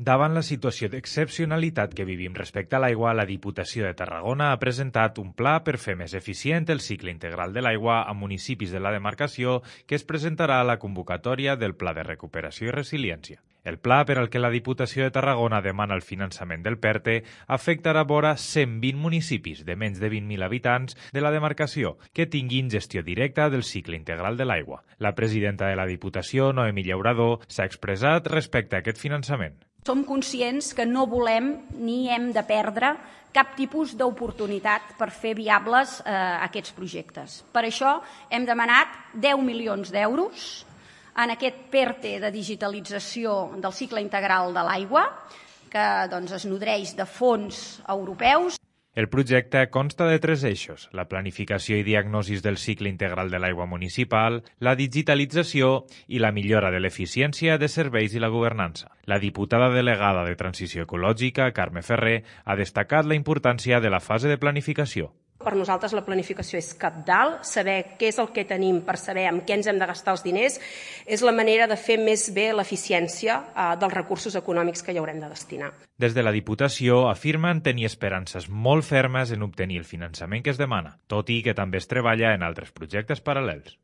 Davant la situació d'excepcionalitat que vivim respecte a l'aigua, la Diputació de Tarragona ha presentat un pla per fer més eficient el cicle integral de l'aigua a municipis de la demarcació que es presentarà a la convocatòria del Pla de Recuperació i Resiliència. El pla per al que la Diputació de Tarragona demana el finançament del PERTE afectarà vora 120 municipis de menys de 20.000 habitants de la demarcació que tinguin gestió directa del cicle integral de l'aigua. La presidenta de la Diputació, Noemí Llauradó, s'ha expressat respecte a aquest finançament. Som conscients que no volem ni hem de perdre cap tipus d'oportunitat per fer viables aquests projectes. Per això hem demanat 10 milions d'euros en aquest PERTE de digitalització del cicle integral de l'aigua, que es nodreix de fons europeus. El projecte consta de 3 eixos: la planificació i diagnosis del cicle integral de l'aigua municipal, la digitalització i la millora de l'eficiència de serveis i la governança. La diputada delegada de Transició Ecològica, Carme Ferrer, ha destacat la importància de la fase de planificació. Per nosaltres la planificació és cabdal, saber què és el que tenim per saber amb què ens hem de gastar els diners és la manera de fer més bé l'eficiència dels recursos econòmics que hi haurem de destinar. Des de la Diputació afirmen tenir esperances molt fermes en obtenir el finançament que es demana, tot i que també es treballa en altres projectes paral·lels.